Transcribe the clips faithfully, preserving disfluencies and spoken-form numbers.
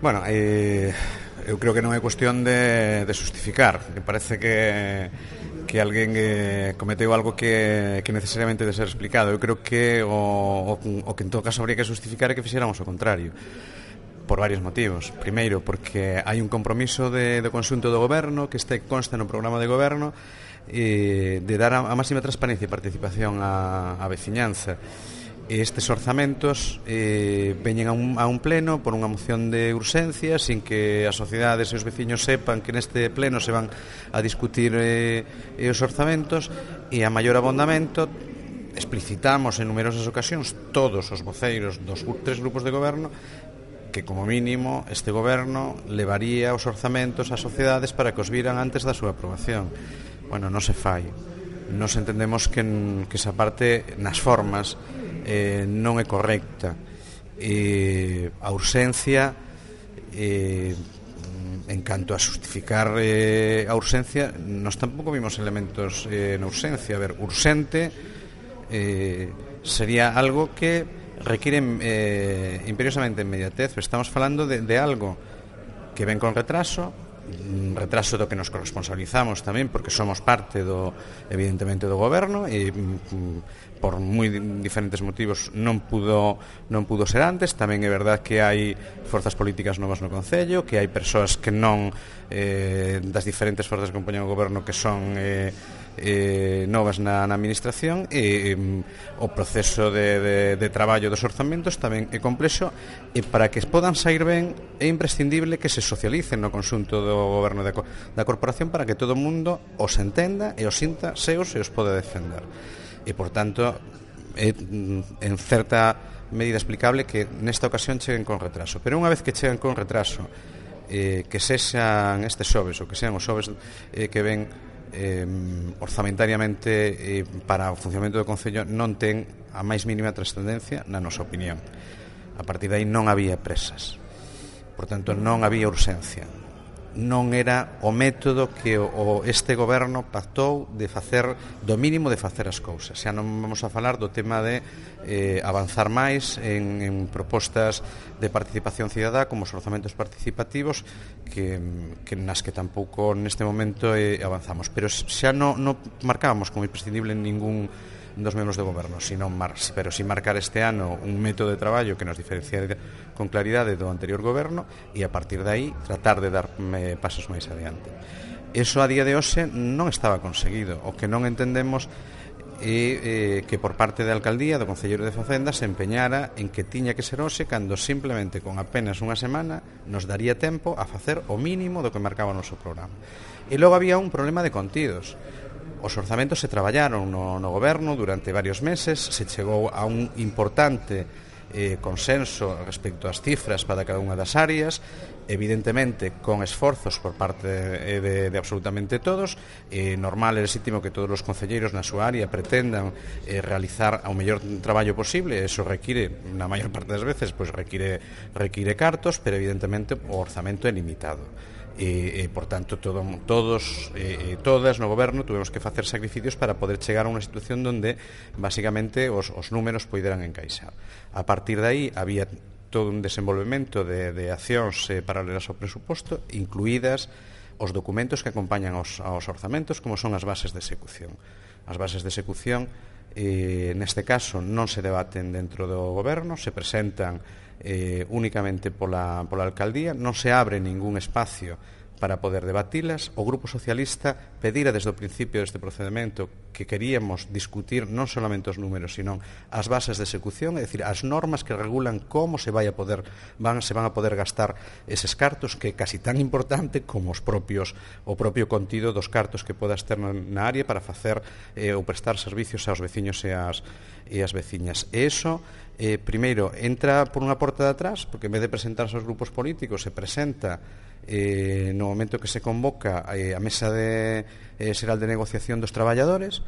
Bueno, eh, eu creo que non é cuestión de, de justificar. Me parece que que alguén eh, cometeu algo que, que necesariamente de ser explicado. Eu creo que o, o, o que en todo caso habría que justificar é que fixéramos o contrario, por varios motivos. Primeiro, porque hai un compromiso de, de conxunto do goberno que este consta no programa de goberno eh, de dar a, a máxima transparencia e participación á, á veciñanza. Estes orzamentos eh, veñen a un, a un pleno por unha moción de urxencia sin que as sociedades e os veciños sepan que neste pleno se van a discutir eh, os orzamentos, e a maior abondamento explicitamos en numerosas ocasións todos os voceiros dos tres grupos de goberno que como mínimo este goberno levaría os orzamentos ás sociedades para que os viran antes da súa aprobación. Bueno, non se fai. Nos entendemos que, que esa parte nas formas eh, non é correcta. Eh, a urxencia eh, en canto a justificar eh, a urxencia, nos tampouco vimos elementos eh, na urxencia. A ver, urxente eh, sería algo que requiere eh, imperiosamente inmediatez. Estamos falando de, de algo que ven con retraso, un retraso do que nos corresponsabilizamos tamén porque somos parte do, evidentemente, do goberno, e mm, por moi diferentes motivos non pudo non pudo ser antes. Tamén é verdad que hai forzas políticas novas no Concello, que hai persoas que non eh, das diferentes forzas que compoñen o goberno que son eh, eh, novas na, na administración, e eh, o proceso de, de, de traballo dos orzamentos tamén é complexo, e para que podan sair ben é imprescindible que se socialicen no conxunto do goberno da, da corporación para que todo o mundo os entenda e os sinta seus e os pode defender. E, por tanto, é en certa medida explicable que nesta ocasión cheguen con retraso. Pero unha vez que cheguen con retraso, eh, que sexan estes xoves ou que sean os xoves eh, que ven eh, orzamentariamente eh, para o funcionamento do Concello, non ten a máis mínima trascendencia na nosa opinión. A partir de aí non había presas, por tanto non había urxencia, non era o método que o, o este goberno pactou de facer, do mínimo de facer as cousas. Xa non vamos a falar do tema de eh, avanzar máis en, en propostas de participación cidadá como os orzamentos participativos, que, que nas que tampouco neste momento eh, avanzamos, pero xa non no marcábamos como imprescindible en ningún dos membros do goberno, sino mar, pero si marcar este ano un método de traballo que nos diferencia con claridade do anterior goberno, e a partir de aí tratar de dar eh, pasos máis adiante. Eso a día de hoxe non estaba conseguido. O que non entendemos é eh, que por parte da alcaldía, do Concelleiro de Facenda, se empeñara en que tiña que ser hoxe, cando simplemente con apenas unha semana nos daría tempo a facer o mínimo do que marcaba o noso programa. E logo había un problema de contidos. Os orzamentos se traballaron no, no goberno durante varios meses, se chegou a un importante eh, consenso respecto ás cifras para cada unha das áreas, evidentemente con esforzos por parte de, de, de absolutamente todos. Eh, normal e legítimo que todos os concelleiros na súa área pretendan eh, realizar ao mellor traballo posible. Eso require, na maior parte das veces, pues require, require cartos, pero evidentemente o orzamento é limitado. E, e por tanto todo, todos e todas no goberno tuvemos que facer sacrificios para poder chegar a unha situación donde basicamente os, os números poideran encaixar. A partir de aí había todo un desenvolvemento de, de accións eh, paralelas ao presuposto, incluídas os documentos que acompañan aos, aos orzamentos, como son as bases de execución. As bases de execución eh, neste caso non se debaten dentro do goberno, se presentan Eh, únicamente pola, pola alcaldía, non se abre ningún espacio para poder debatilas. O Grupo Socialista pedira desde o principio deste procedimento que queríamos discutir non solamente os números, sino as bases de execución, é dicir, as normas que regulan como se vai a poder van, se van a poder gastar eses cartos, que é casi tan importante como os propios o propio contido dos cartos que podas ter na área para facer eh, ou prestar servicios aos veciños e as, e as veciñas. E iso Eh, primeiro, entra por unha porta de atrás, porque en vez de presentarse aos grupos políticos, se presenta eh, no momento que se convoca eh, a mesa de, eh, xeral de negociación dos traballadores,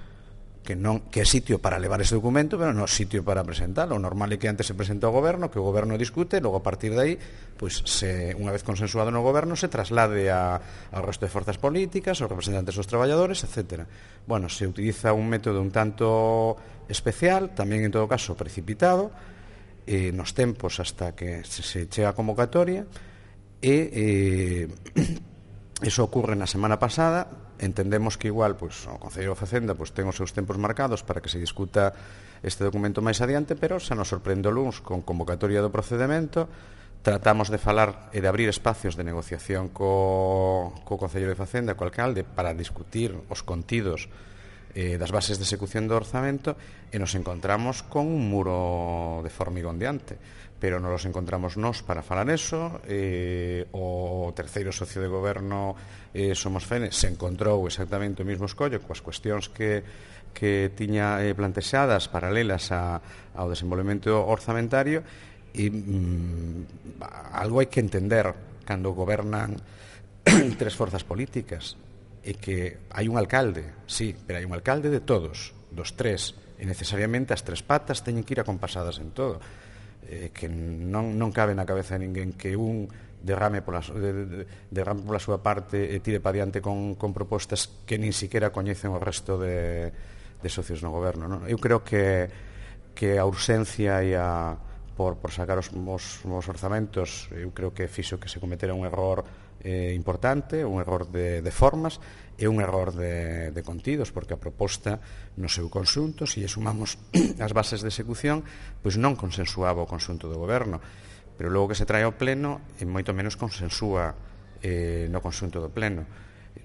que non que é sitio para levar ese documento, pero non é sitio para presentalo. O normal é que antes se presenta ao goberno, que o goberno discute, logo a partir de aí, pois, se, unha vez consensuado no goberno, se traslade a, ao resto de forzas políticas, aos representantes dos traballadores, etcétera. Bueno, se utiliza un método un tanto especial, tamén en todo caso precipitado, eh, nos tempos hasta que se, se chega a convocatoria, e eh, iso ocurre na semana pasada. Entendemos que igual pois, o Concello de Facenda pois, ten os seus tempos marcados para que se discuta este documento máis adiante, pero se nos sorprende o luns con convocatoria do procedimento. Tratamos de falar e de abrir espacios de negociación co, co Concello de Facenda, co alcalde, para discutir os contidos eh, das bases de execución do orzamento, e nos encontramos con un muro de formigón diante. Pero non nos encontramos nós para falar eso. Eh, o terceiro socio de goberno, eh, Somos Fene, se encontrou exactamente o mesmo escollo coas cuestións que, que tiña eh, plantexadas paralelas a, ao desenvolvemento orzamentario. E mm, algo hai que entender cando gobernan tres forzas políticas, é que hai un alcalde, sí, pero hai un alcalde de todos, dos tres, e necesariamente as tres patas teñen que ir acompasadas en todo. Eh, que non, non cabe na cabeza de ninguén que un derrame pola, de, de, derrame pola súa parte e tire pa diante con, con propostas que nin siquiera coñecen o resto de, de socios no goberno, non? Eu creo que, que a urxencia e a por, por sacar os, os, os orzamentos, eu creo que fixo que se cometera un error eh, importante, un error de, de formas e un error de, de contidos, porque a proposta no seu conxunto, se lle sumamos as bases de execución, pois non consensuaba o conxunto do goberno, pero logo que se trae ao pleno e moito menos consensúa eh, no conxunto do pleno.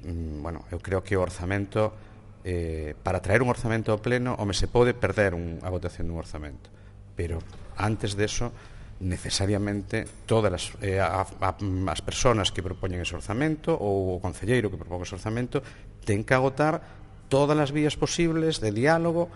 Mm, bueno, eu creo que o orzamento, eh, para traer un orzamento ao pleno, home, se pode perder un, a votación dun orzamento, pero antes de eso, necesariamente todas as, eh, a, a, as persoas que propoñen ese orzamento ou o concelleiro que propón ese orzamento ten que agotar todas as vías posibles de diálogo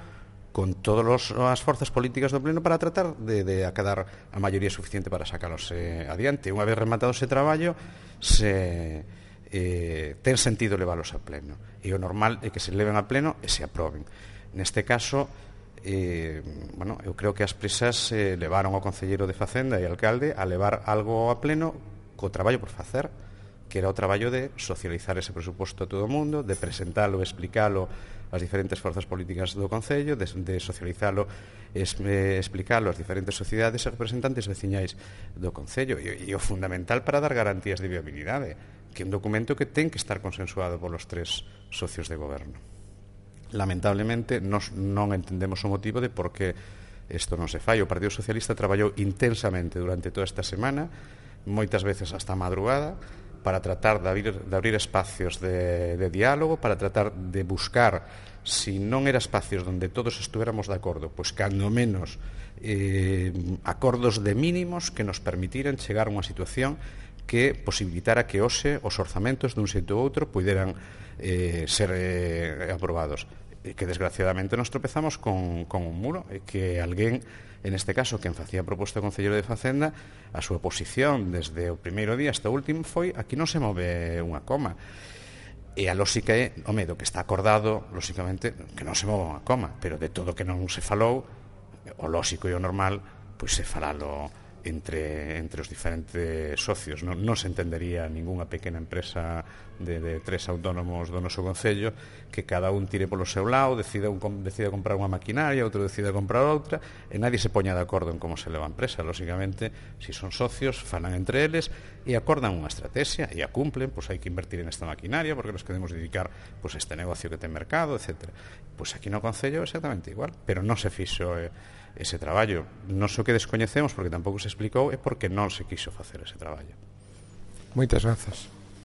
con todas as forzas políticas do pleno para tratar de, de acadar a maioría suficiente para sacalos eh, adiante. Unha vez rematado ese traballo, se eh, ten sentido leválos a pleno, e o normal é que se leven a pleno e se aproben. Neste caso, Eh, bueno, eu creo que as prisas eh, levaron ao concelleiro de Facenda e alcalde a levar algo a pleno co traballo por facer, que era o traballo de socializar ese presuposto a todo o mundo, de presentalo e explicalo ás diferentes forzas políticas do Concello, de, de socializalo e eh, explicalo ás diferentes sociedades e representantes veciñais do Concello, e, e o fundamental para dar garantías de viabilidade, que é un documento que ten que estar consensuado polos tres socios de goberno. Lamentablemente, nos non entendemos o motivo de por que isto non se fai. O Partido Socialista traballou intensamente durante toda esta semana, moitas veces hasta a madrugada, para tratar de abrir, de abrir espacios de, de diálogo, para tratar de buscar, si non era espacios onde todos estuéramos de acordo, pois cando menos eh, acordos de mínimos que nos permitiran chegar a unha situación que posibilitara que hoxe os orzamentos dun xeito ou outro puderan eh, ser eh, aprobados. E que desgraciadamente nos tropezamos con, con un muro, e que alguén, en este caso, quen facía a proposta ao Concelleiro de Facenda, a súa posición desde o primeiro día hasta o último foi: aquí non se move unha coma. E a lógica é, o medo que está acordado, lógicamente, que non se move unha coma, pero de todo que non se falou, o lógico e o normal, pois se falalo entre, entre os diferentes socios. Non, non se entendería ningunha pequena empresa de, de tres autónomos do noso Concello que cada un tire polo seu lado, decida, un, decida comprar unha maquinaria, outro decida comprar outra, e nadie se poña de acordo en como se leva a empresa. Lógicamente, se si son socios, falan entre eles e acordan unha estrategia e a cumplen, pois hai que invertir en esta maquinaria porque nos queremos dedicar pois, a este negocio que ten mercado, etcétera. Pois aquí no Concello exactamente igual, pero non se fixo eh, ese traballo. Non sei o que descoñecemos, porque tampouco se explicou, é porque non se quiso facer ese traballo. Moitas grazas.